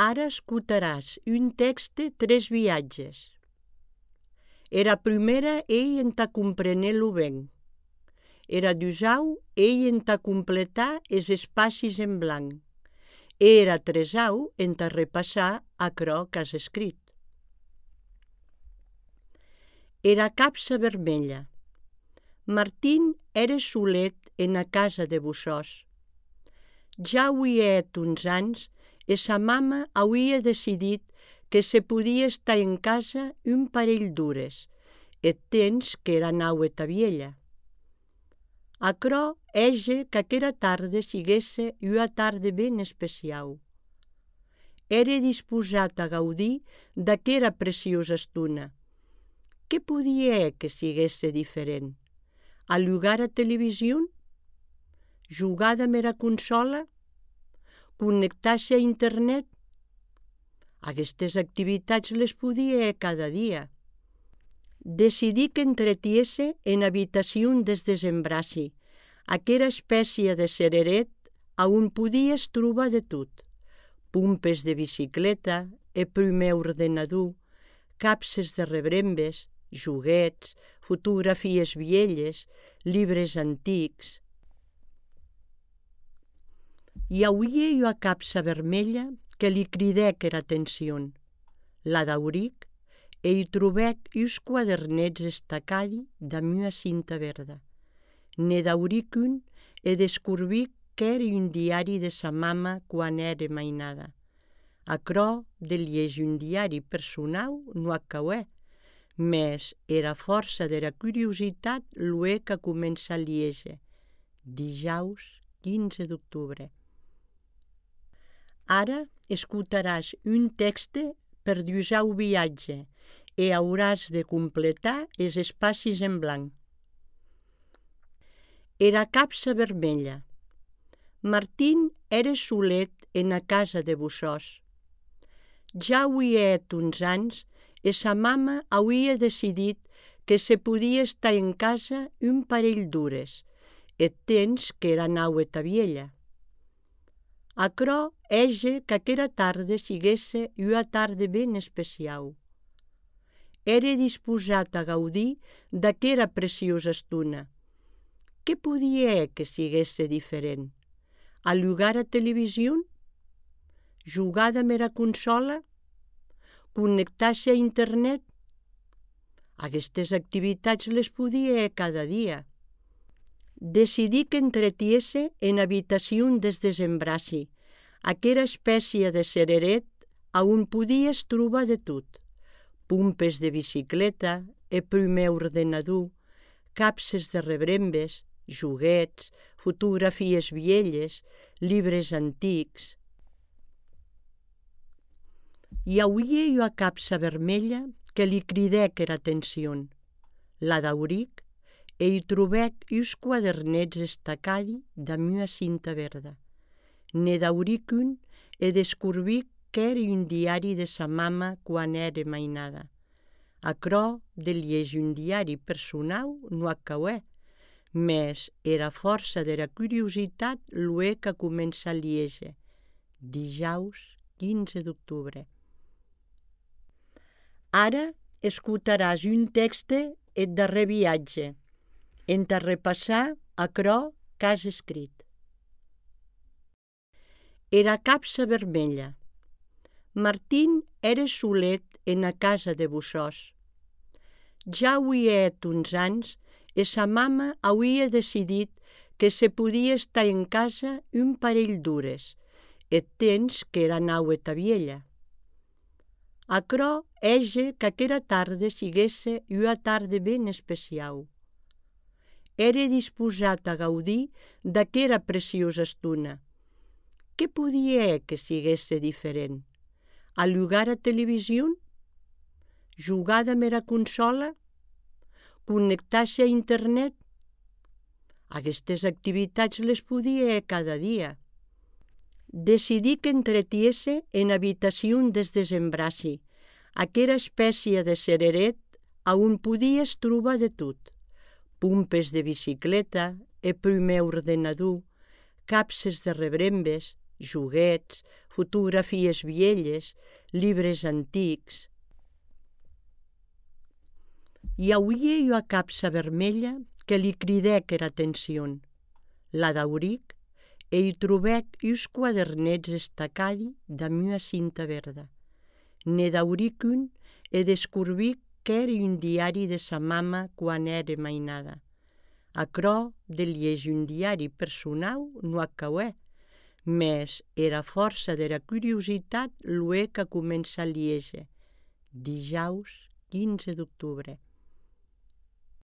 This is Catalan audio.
Ara escutaràs un text de 3 viatges. Era primera ei entà comprenir-lo ben. Era dusau ei entà completar els espacis en blanc. Era tresau entà repassar aquerò qu'has escrit. Era capsa vermella. Martín era solet ena casa de Bussòs. Ja auiet uns anys e sa mama auia decidit que se podia estar en casa un parell d'hores, eth temps qu'era nau eta viella. Aquerò hège qu'aquera tarde siguesse ua tarde ben especiau. Ère disposat a gaudir d'aquera preciosa estona. Qué podia hèr que siguesse diferent? Allugar a television? Jugar damb era consola? Connectar-se a internet? Aguestes activitats les podia hèr cada dia. Decidí qu'entretiesse en habitacion des desembraci, aquera espècia de cereret a on podies trobar de tot. Pompes de bicicleta, e prumèr ordenador, capses de rebrembes, joguets, fotografies vielhes, libres antics. Hi auie ua capsa vermella que li cridèc era atencion. La dauric e hi trobèc uns quadernets estacadi damb ua cinta verda. Ne dauric un e descobric qu'ère un diari de sa mama quan ère mainada. Aquerò de liéger un diari personau non ac cauè, mes era fòrça dera curiositat lo hè qu'a començat a liéger. Dijaus 15 d'octubre. Ara escutaràs un texte per dusau viatge e hauràs de completar els espacis en blanc. Era capsa vermella. Martín ère solet ena casa de Bussòs. Ja auiet uns anys e sa mama auia decidit que se podia estar en casa un parell d'hores, eth temps qu'era nau eta viella. Aquerò hège qu'aquera tarde siguesse ua tarde ben especiau. Ère disposat a gaudir d'aquera preciosa estona. Qué podia hèr que siguesse diferent? Allugar a television? Jugar damb era consola? Connectar-se a internet? Aguestes activitats les podia hèr cada dia. Decidí qu'entretiesse en habitacion des desembraci, aquera espècia de cereret a on podies trobar de tot. Pompes de bicicleta, e prumèr ordenador, capses de rebrembes, joguets, fotografies vielhes, libres antics. Hi auie ua capsa vermella que li cridèc era atencion. La dauric e hi trobèc uns quadernets estacadi damb ua cinta verda. Ne dauric un e descobric qu'ère un diari de sa mama quan ère mainada. Aquerò de liéger un diari personau non ac cauè, mes era fòrça dera curiositat lo hè qu'a començat a liéger. Dijaus 15 d'octubre. Ara escutaràs un texte eth darrèr viatge, entà repassar aquerò qu'has escrit. Era capsa vermella. Martín ère solet ena casa de Bussòs. Ja auiet uns anys e sa mama auia decidit que se podia estar en casa un parell d'hores, eth temps qu'era nau eta viella. Aquerò hège qu'aquera tarde siguesse ua tarde ben especiau. Ère disposat a gaudir d'aquera preciosa estona. Qué podia hèr que siguesse diferent? Allugar a television? Jugar damb era consola? Connectar-se a internet? Aguestes activitats les podia hèr cada dia. Decidí qu'entretiesse en habitacion des desembraci, aquera espècia de cereret a on podies trobar de tot. Pompes de bicicleta, e prumèr ordenador, capses de rebrembes, joguets, fotografies vielles, llibres antics. Hi auie ua capsa vermella que li cridèc era atencion. La dauric e hi trobèc uns quadernets estacadi damb una cinta verda. Ne dauric un e descurbic qu'ère un diari de sa mama quan ère mainada. Aquerò de liéger un diari personau non ac cauè, mes era fòrça dera curiositat lo hè qu'a començat a liéger. Dijaus 15 d'octubre.